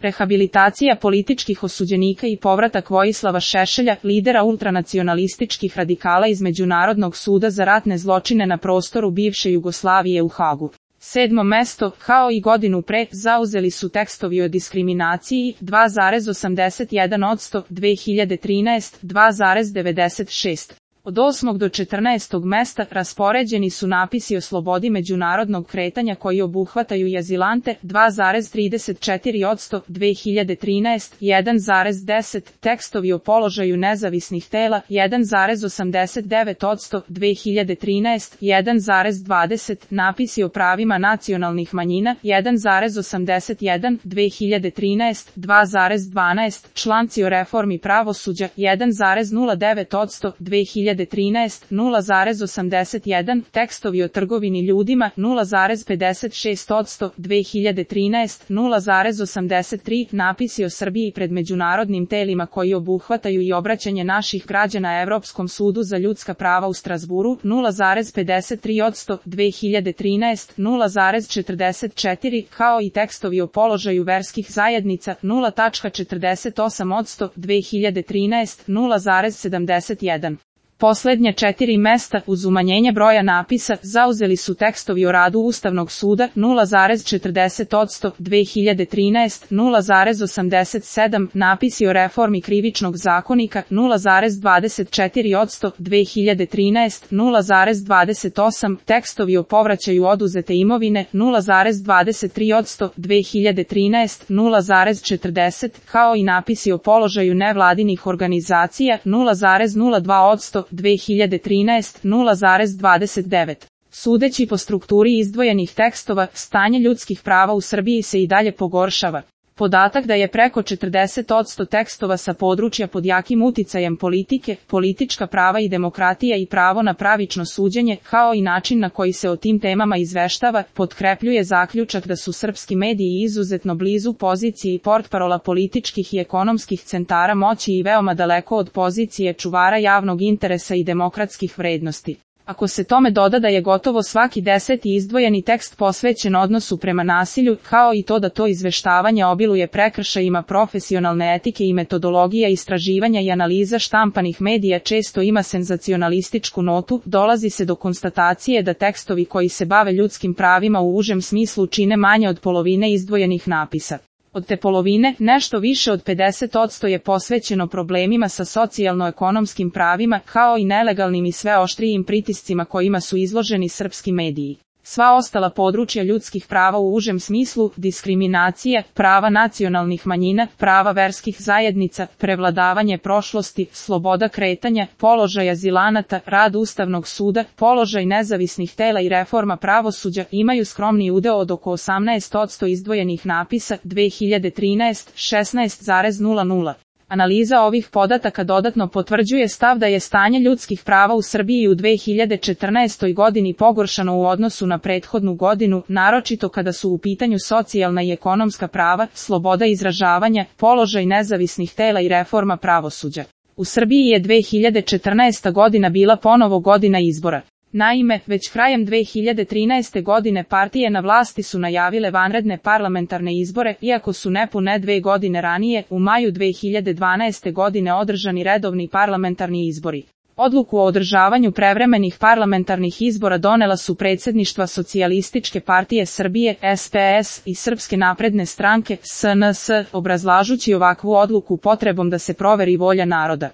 Rehabilitacija političkih osuđenika i povratak Vojislava Šešelja, lidera ultranacionalističkih radikala iz Međunarodnog suda za ratne zločine na prostoru bivše Jugoslavije u Hagu. 7. mesto, kao i godinu pre, zauzeli su tekstovi o diskriminaciji, 2,81%, 2013, 2,96%. Od 8. do 14. mesta raspoređeni su napisi o slobodi međunarodnog kretanja koji obuhvataju i azilante, 2,34%, 2013, 1,10%, tekstovi o položaju nezavisnih tela, 1,89%, 2013, 1,20%, napisi o pravima nacionalnih manjina, 1,81%, 2013, 2,12%, članci o reformi pravosuđa, 1,09%, 2013, 0,81%, tekstovi o trgovini ljudima, 0,56%, 2013, 0,83%, napisi o Srbiji pred međunarodnim telima koji obuhvataju i obraćanje naših građana Evropskom sudu za ljudska prava u Strazburu, 0,53%, 2013, 0,44%, kao i tekstovi o položaju verskih zajednica, 0,48%, 2013, 0,71%. Poslednja 4 mesta, uz umanjenje broja napisa, zauzeli su tekstovi o radu Ustavnog suda, 0,40%, 2013, 0,87%, napisi o reformi krivičnog zakonika, 0,24%, 2013, 0,28%, tekstovi o povraćaju oduzete imovine, 0,23%, 2013, 0,40%, kao i napisi o položaju nevladinih organizacija, 0,02%, 2013, 0,29%. Sudeći po strukturi izdvojenih tekstova, stanje ljudskih prava u Srbiji se i dalje pogoršava. Podatak da je preko 40% tekstova sa područja pod jakim uticajem politike, politička prava i demokratija i pravo na pravično suđenje, kao i način na koji se o tim temama izveštava, potkrepljuje zaključak da su srpski mediji izuzetno blizu poziciji portparola političkih i ekonomskih centara moći i veoma daleko od pozicije čuvara javnog interesa i demokratskih vrednosti. Ako se tome doda da je gotovo svaki 10. izdvojeni tekst posvećen odnosu prema nasilju, kao i to da to izveštavanje obiluje prekršajima profesionalne etike i metodologija istraživanja i analiza štampanih medija često ima senzacionalističku notu, dolazi se do konstatacije da tekstovi koji se bave ljudskim pravima u užem smislu čine manje od polovine izdvojenih napisa. Od te polovine, nešto više od 50% je posvećeno problemima sa socijalno-ekonomskim pravima, kao i nelegalnim i sve oštrijim pritiscima kojima su izloženi srpski mediji. Sva ostala područja ljudskih prava u užem smislu, diskriminacija, prava nacionalnih manjina, prava verskih zajednica, prevladavanje prošlosti, sloboda kretanja, položaj azilanata, rad Ustavnog suda, položaj nezavisnih tela i reforma pravosuđa imaju skromni udeo od oko 18% izdvojenih napisa, 2013, 16,00%. Analiza ovih podataka dodatno potvrđuje stav da je stanje ljudskih prava u Srbiji u 2014. godini pogoršano u odnosu na prethodnu godinu, naročito kada su u pitanju socijalna i ekonomska prava, sloboda izražavanja, položaj nezavisnih tela i reforma pravosuđa. U Srbiji je 2014. godina bila ponovo godina izbora. Naime, već krajem 2013. godine partije na vlasti su najavile vanredne parlamentarne izbore, iako su nepune 2 godine ranije, u maju 2012. godine održani redovni parlamentarni izbori. Odluku o održavanju prevremenih parlamentarnih izbora donela su predsjedništva Socijalističke partije Srbije, SPS, i Srpske napredne stranke, SNS, obrazlažući ovakvu odluku potrebom da se proveri volja naroda.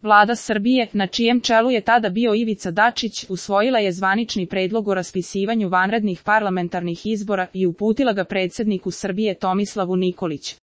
Vlada Srbije, na čijem čelu je tada bio Ivica Dačić, usvojila je zvanični predlog o raspisivanju vanrednih parlamentarnih izbora i uputila ga predsjedniku Srbije Tomislavu Nikoliću.